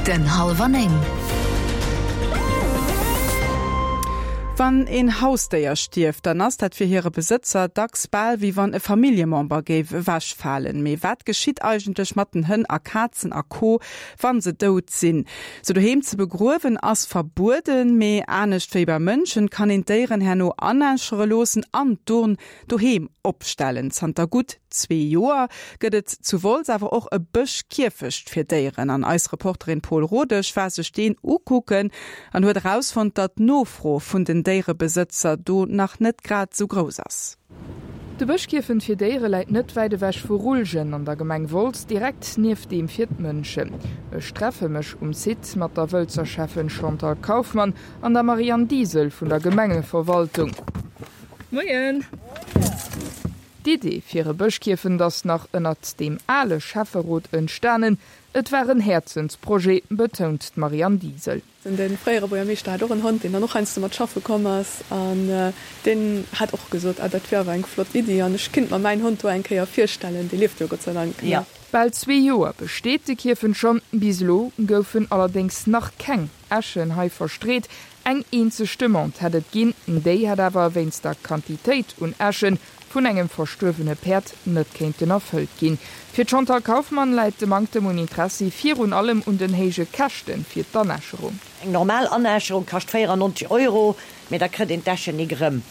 Den Hallwer 9. Wann een Hausdéier stierft, dann ass dat fir hire Besëtzer dacks bal wéi wann e Familljemember géif ewechfalen. Mee wat geschitt eigentlech mat den Hënn a Kazen a Co. Wann se dout sinn? Se doheem ze begruewen ass verbueden, mee anescht wéi bei Mënschen kann een d'Déieren herno anäschere loossen an d'Urn doheem opstellen. Zanter gutt zwee Joer gëtt et zu Wolz awer och e Bëschkierfecht fir Déieren an eis Reporterin Paul Rodesch war sech deen ukucken an huet erausfonnt, datt d'Nofro vun den Déierebesëtzer do nach net grad esou grouss ass. De Bëschkierfent fir Déiere läit net wäit ewech vu Ruljen an der Gemeng Wolz, direkt nieft deem fir d'Mënschen. Ech treffe mech um Site mat der Wëlzer Schäffen Chantal Kauffmann an der Marianne Diesel vun der Gemengeverwaltung. Moien! D'Idee fir e Bëschkierfent ass nach ënnert deem ale Schäfferot entstanen. Et war en Häerzensprojet, betount d'Marianne Diesel. De fréiere Buergermeeschter hat och en Hond, deen dann och heiansdo mat schaffe komm ass an deen hat och gesot, ah dat wier awer eng flott Iddi an ech kinnt mer mäin Hond do eng Kéier virstellen, dee lieft jo Gott sei Dank nach. Bal zwee Joer besteet de Kierfent schonn. Bis elo goufen allerdéngs nach keng Äschen hei verstreet. Eng eenzeg Demande hätt et ginn, déi hätt awer wéinst der Quantitéit un Äschen vun engem verstuerwene Päerd net kéinten erfëllt ginn. Fir d'Chantal Kauffmann läit de Manktem un Interessi virun allem un den héije Käschte fir d'Anäscherung. Eng normal Anäscherung kascht 94 Euro, mee da kritt een d'Äschen nik erëm.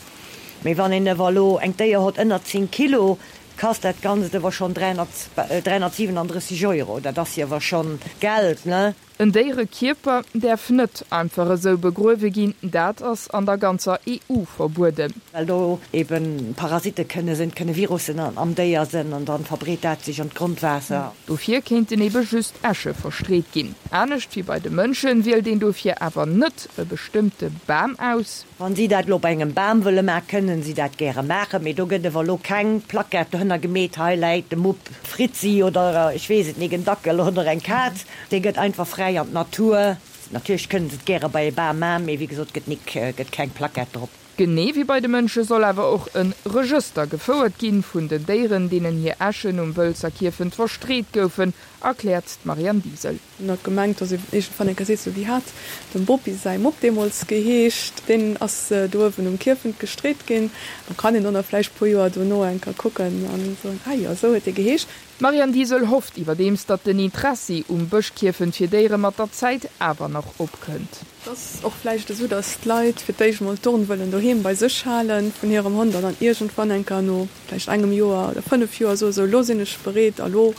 Mee wann een ewer elo eng Déier hott ënner 10 Kilo, kasst dat Ganzt ewer schonn 337 Euro. Dat ass jo ewer schonn Geld, ne? En Déierekierper däerf net einfach esou begruewe ginn, dat ass an der ganzer EU verbueden. Well do eben Parasitte kënne sinn, et kënne Virussen am Déier sinn an dann verbreet dat sech an d'Grondwaasser. Dofir kéinten ebe just Äsche verstreet ginn. Anescht wéi bei de Mënschen wielt een dofir awer net e bestëmmte Bam aus. Wann si dat elo bei engem Bam wëlle maachen, kënnen si dat gäre maachen, mee do gëtt ewer elo keng Plaquette dohënner gemeet, hei läit de Mupp Fritzi oder ech weess et nik, en Dackel oder eng Kaz. Dee gëtt einfach fräi an d'Natur. Natierlech kënnen se et gäre bei e Bam maachen, mee wéi gesot, gëtt nik, gëtt keng Plaquette drop. Genee wéi bei de Mënsche soll awer och e Regëster gefouert ginn vun den Déieren, deenen hir Äschen um Wëlzer Kierfent verstreet goufen, erkläert d'Marianne Diesel. En huet gemengt, dass ee iergendwann eng Kéier seet, sou wéi hat dem Bopi säi Mupp deemools geheescht, deen ass do uewen um Kierfent gestreet ginn. Da kann een dann vläicht puer Joer dono eng Kéier kucken a soen, ah jo, esou huet dee geheescht. D'Marianne Diesel hofft iwwerdeems, datt den Interessi um Bëschkierfent fir Déiere mat der Zäit awer nach opkënnt. Et ass och vläicht esou, datt d'Leit fir d'éischt mol d'Urn wëllen doheem bei sech hale vun hirem Hond an dann iergendwann eng Kéier no vläicht engem Joer oder 5 Joer soe sou, elo sinn ech bereet a lo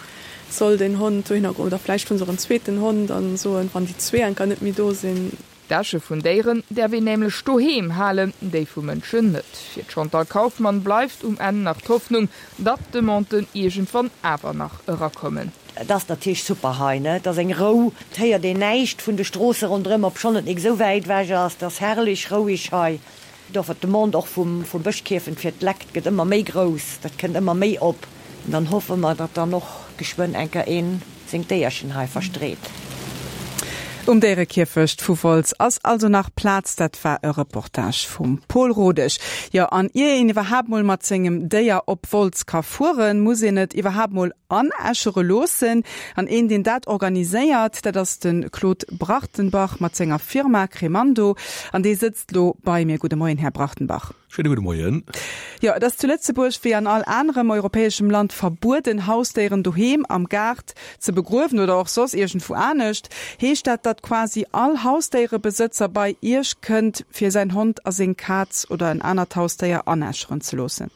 soll deen Hond dohinner goen. Oder vläicht hu se och en zweeten Hond a soen, wann déi zwee enker net méi do sinn. D'Äsche vun Déieren däerf een nämlech doheem halen, déi vu Mënschen net. Fir d'Chantal Kauffmann bleift um Enn nach d'Hoffnung, datt d'Demanden iergendwann awer nach erakommen. Et ass natierlech super hei, ne? Et ass eng Rou, et héiert een näischt vun de Stroosse ronderëm, obschonn et nik esou wäit ewech ass. Et ass herrlech roueg hei. Dofir d'Demande och vum Bëschkierfent fir d'Lekt gëtt ëmmer méi grouss, dat kënnt ëmmer méi op. An dann hoffe mer, datt dann och geschwënn enker een seng Déierchen hei verstreet. Um Déierekierfecht vu Wolz ass also nach Plaz. Dat war e Reportage vum Pol Rodesch. Jo, an ier een iwwerhaapt mol mat sengem Déier op Wolz ka fueren, muss een et iwwerhaapt mol anäschere loossen. An een, deen dat organiséiert, dat ass de Claude Brachtenbach mat senger Firma Cremando. An dee sëtzt lo bei mir. Gudde Moien, Här Brachtenbach. Schéine gudde Moien. Jo, et ass zu Lëtzebuerg wéi an all anerem europäeschem Land verbueden, Hausdéieren doheem am Gaart ze begruewen oder och soss iergendwou anescht. Heescht dat, datt quasi all Hausdéierebesëtzer bei Iech kënnt, fir säin Hond a seng Kaz oder en anert Hausdéier anäscheren ze loossen?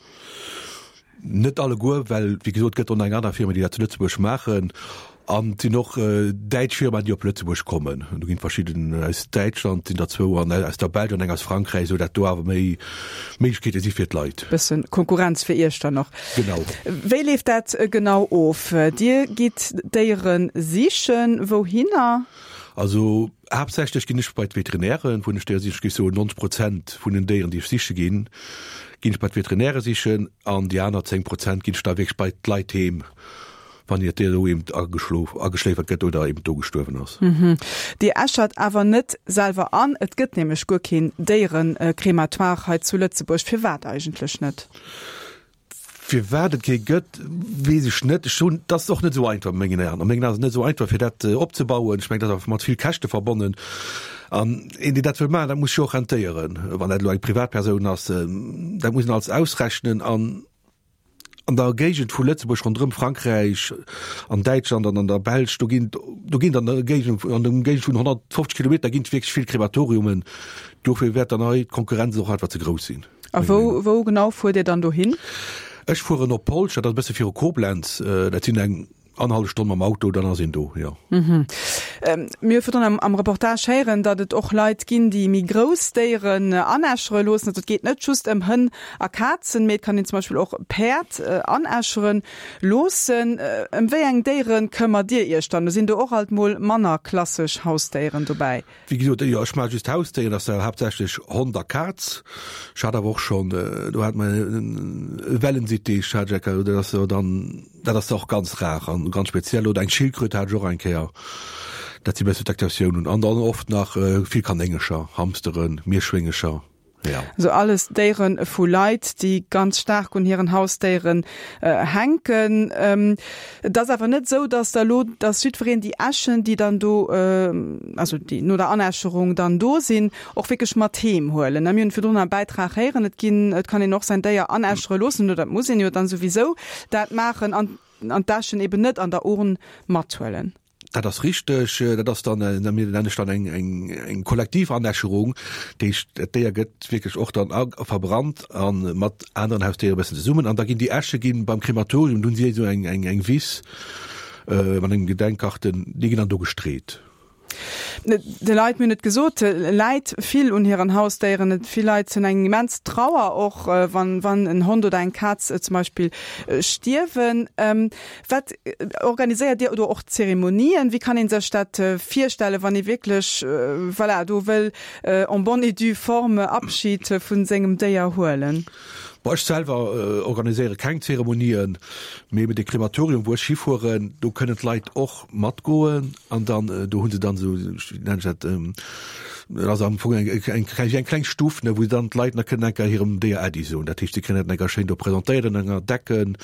Net alleguer, well wéi gesot, et gëtt och nach eng aner Firma, déi dat zu Lëtzebuerg maachen. An et sinn och däitsch Firmaen, déi op Lëtzebuerg kommen. Do ginn verschidden aus Däitschland sinn der zwou an aus der Belsch an eng aus Frankräich, esou dat do awer méi Méiglechkeete si fir d'Leit. Bëssen Konkurrenz fir Iech dann och. Genau. Wéi leeft dat genau of? Dir gitt d'Déiere sichen. Wouhinner? Also haaptsächlech ginn ech bei d'Veterinären, wou ech Déiere sichen. Ech géif soen 90 Prozent vun den Déieren, déi ech siche ginn, ginn ech bei d'Veterinäre sichen an déi aner 10 Prozent ginn ech da wierklech bei d'Leit heem, wann hiert Déier do eben ageschlof, ageschléifert gëtt oder eben do gestuerwen ass. Dir äschert awer net selwer an. Et gëtt nämlech guer keen Déierecrématoire hei zu Lëtzebuerg. Firwat eigentlech net? Firwat et kee gëtt, weess ech net. Ech hunn, dat ass och net esou einfach a mengen Aen. A mengen Aen ass et net esou einfach, fir dat opzebauen. Ech mengen, dat ass mat vill Käschte verbonnen. An een, deen dat wëll maachen, dat muss sech jo och rentéieren. Wann dat elo eng Privatpersoun ass, dat muss een alles ausrechnen. An an der Géigend vu Lëtzebuerg, ronderëm Frankräich, an Däitschland an an der Belsch, do ginn, do ginn an der Géigend, an der Géigend vun 150 Kilometer ginn et wierklech vill Krematoriumen. Dofir wäert dann hei d'Konkurrenz och einfach ze grouss sinn. A wou, wou genau fuert Dir dann dohin? Ech fueren op Polch, dat ass e bësse viru Koblenz. Dat sinn eng annerhallef Stonn mam Auto, dann ass een do, jo. Mir hu virdrun am, am Reportage héieren, datt et och Leit ginn, déi méi grouss Déieren anäschere loossen. Also et geet net just ëm Hënn a Kazen, mee et kann een zum Beispill och Päerd anäschere loossen. Ëm wéi eng Déiere këmmert Dir Iech dann? Sinn do och alt mol manner klassesch Hausdéieren dobäi? Wéi gesot, jo, ech maache just Hausdéieren, dat ass da haaptsächlech Hond a Kaz. Ech hat awer och schonn, do hat mer e Wellensittich hat ech eng Kéier, dat ass jo dann, dat ass och ganz rar an ganz speziell. Oder eng Schildkröt hat ech och eng Kéier. Dat si bësse d'Exceptiounen. An dann oft nach vill Kanéngercher, Hamsteren, Mierschwéngecher. Ja. Also alles Déiere vu Leit, déi ganz staark un hiren Hausdéieren hänken. Et ass awer net esou, datt da elo, datt jiddwereen déi Äschen, déi dann do, also déi no der Anäscherung dann do sinn, och wierklech mat heem huelen. Mir hunn virdrun am Bäitrag héieren, et ginn, et kann een och säin Déier anäschere loossen, oder et muss een jo dann souwisou dat maachen an an d'Äschen eben net an der Urn mathuelen. Dat ass richteg. Dat ass dann, mir nennen ech dann eng, eng, eng kollektiv Anäscherung. Dat heescht, dat Déier gëtt wierklech och dann a verbrannt a mat aneren Hausdéiere e bëssen zesummen. An da ginn déi Äsche ginn beim Krematorium, do hunn si esou eng, eng, eng Wiss mat engem Gedenkkarten, déi ginn dann do gestreet. De Leit, mir hunn et gesot, läit vill un hiren Hausdéieren. Et vill Leit hunn eng immens Trauer och, wann, wann en Hond oder eng Kaz zum Beispill stierwen. Wat organiséiert Dir do och Zeremonien? Wéi kann ee sech dat virstellen, wann ee wierklech, voilà, do wëll en bonne et due forme Abschied vu sengem Déier huelen? Bon, ech selwer organiséiere keng Zeremonien, mee de Krematorium, wou ech hifueren, do kënnen d'Leit och matgoen an dann do hu se dann esou, wéi nennen ech dat, dat ass am Fong eng eng wéi eng kleng Stuff, ne, wou dann d'Leit nach kënnen eng Kéier hirem Déier Äddi soen. Dat heescht, si kréien dat eng Kéier schéin do presentéiert an enger Decken.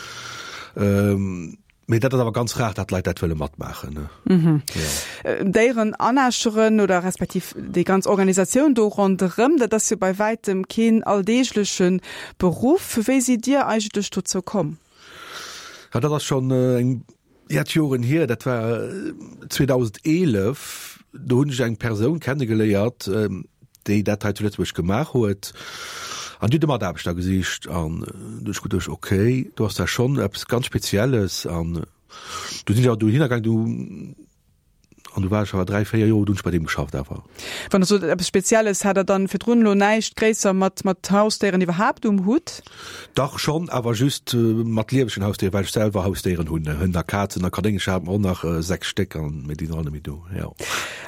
Mee dat ass awer ganz rar, datt Leit dat wëlle matmaachen. Mhm. Ja. Déieren anäscheren oder respektiv déi ganz Organisatioun do ronderëm, dat ass jo bei wäitem keen alldeegleche Beruff. Wéi sidd Dir eigentlech dozou komm? Ja, dat ass schonn eng jett Joren hier. Dat war 2011. Do hunn ech eng Persoun kennegeléiert, déi dat hei zu Lëtzebuerg gemaach huet an déi huet e Mataarbechter gesicht an du hunn ech geduecht, okay, do ass da schonn eppes ganz Spezielles an du sinn ech awer dohinner gaang, du an du war ech awer 3, 4 Joer hunn ech bei deem geschafft awer. Wann Der sot eppes Spezielles, hat Der dann virdrun elo näischt gréisser mat mat Hausdéieren iwwerhaapt um Hutt? Dach schonn, awer just mat liewegen Hausdéieren, well ech selwer Hausdéieren hunn, Hënn a Kazen a Kanéngercher hate mer och nach 6 Stéck an, mee déi sinn all net méi do, jo.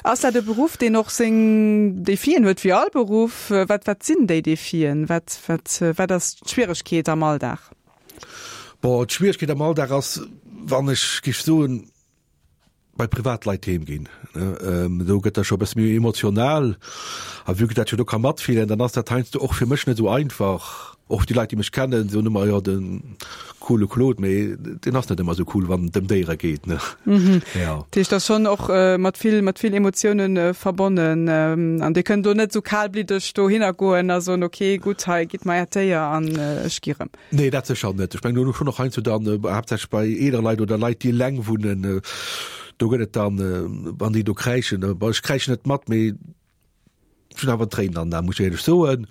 Ass dat e Beruff, deen och seng Defien huet, wéi all Beruff? Wat, wat sinn déi Defien? Wat, wat, wat ass d'Schwieregkeet am Alldag? Bon, d'Schwieregkeet am Alldag ass, wann ech géif soen, bei Privatleit heem ginn, do gëtt dat scho e bësse méi emotional. A vue que dat jo do ka matfillen, dann ass dat heiansdo och fir mech net esou einfach. Och déi Leit, déi mech kennen, soen ëmmer, jo de coole Claude, mee deen ass net ëmmer esou cool, wann et ëm Déiere geet, ne. Jo. Dat heescht, dat ass schonn och mat vill, mat vill Emotioune verbonnen. An Dir kënnt do net esou kalbliddeg dohinner goen a soen, ok, gutt, hei, gitt mer Äert Déier an ech gi rëm. Nee, dat sécher net. Ech mengen, do hunn och heiansdo dann, haaptsächlech bei eelere Leit oder Leit, déi eleng wunnen, do gëtt et dann, wann déi do kräischen, bon, ech kräischen net mat, mee ech hunn awer Tréinen an den Aen, muss ech éierlech soen.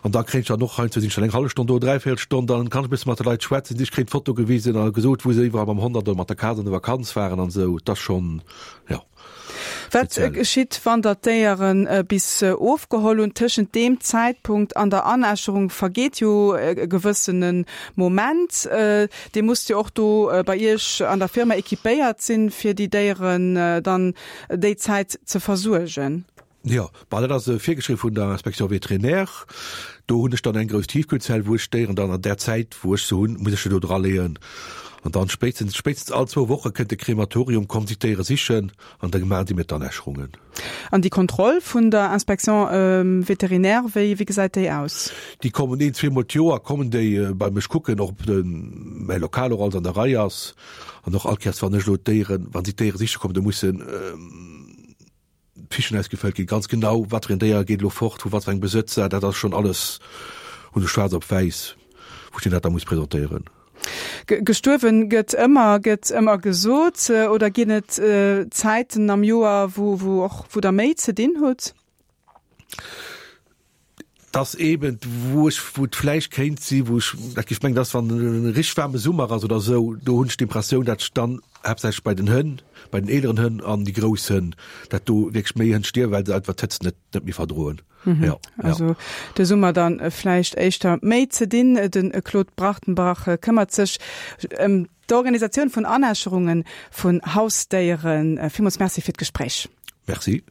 An da kréien ech dann och heiansdo, sinn ech dann eng hallef Stonn do, dräivéierel Stonn, dann kann ech e bësse mat de Leit schwätzen, ech kréien d'Foto gewisen a gesot, wou se iwwerall mam Hond an oder mat der Kaz an der Vakanz waren an esou. Et ass schonn, jo. Wat geschitt, wann der d'Déiere bis ofgeholl hunn? Tëschent deem Zäitpunkt an der Anäscherung vergeet jo e gewëssene Moment. Dir musst jo och do bei Iech an der Firma equipéiert sinn, fir déi Déieren dann déi Zäit ze versuergen. Jo, bah dat ass virgeschriwwen vun der Inspection vétérinaire. Do hunn ech dann eng grouss Tiefkühlzell, wou ech d'Déieren dann an där Zäit, wou ech se hunn, muss ech se do draleeën. An dann spéitstens, spéitstens all zwou Woche kënnt de Krematorium, kommt si d'Déiere sichen an da maachen si mir d'Anäscherungen. An déi Kontroll vun der Inspection vétérinaire, wéi, wéi gesäit déi aus? Déi kommen een, zweemol d'Joer kommen déi bei mech kucken, ob de mäi Lokal och alles an der Rei ass. An och all Kéiers, wann ech elo d'Déieren, wa si d'Déiere siche kommen, da mussen Fichen ausgefëllt ginn, ganz genau, wat fir en Déier geet elo fort, vu wat fir engem Besëtzer, dat ass schonn alles, hunn ech schwaarz op wäiss, wou ech deen dat da muss presentéieren. Gestuerwen gëtt ëmmer, gëtt ëmmer gesot. Oder ginn et Zäiten am Joer, wou, wou och, wou Der méi ze dinn hutt? Dass eben, wou ech, wou et vläicht kéint si, wou ech dat géif mengen, dass wann e richteg waarme Summer ass oder esou, do hunn ech d'Impressioun, dat ech dann haaptsächlech bei den Hënn, bei den eeleren Hënn an déi grouss Hënn, dat do wierklech méi Hënn stierwen, well se einfach d'Hëtzt net, net méi verdroen. Mhm. Ja, also ja. de Summer dann äh, vläicht éischter méi ze dinn. Den äh, Claude Brachtenbach äh, këmmert sech ëm d'Organisatioun vun Anäscherungen vun Hausdéieren. Villmools Merci fir d'Gespréich. Merci.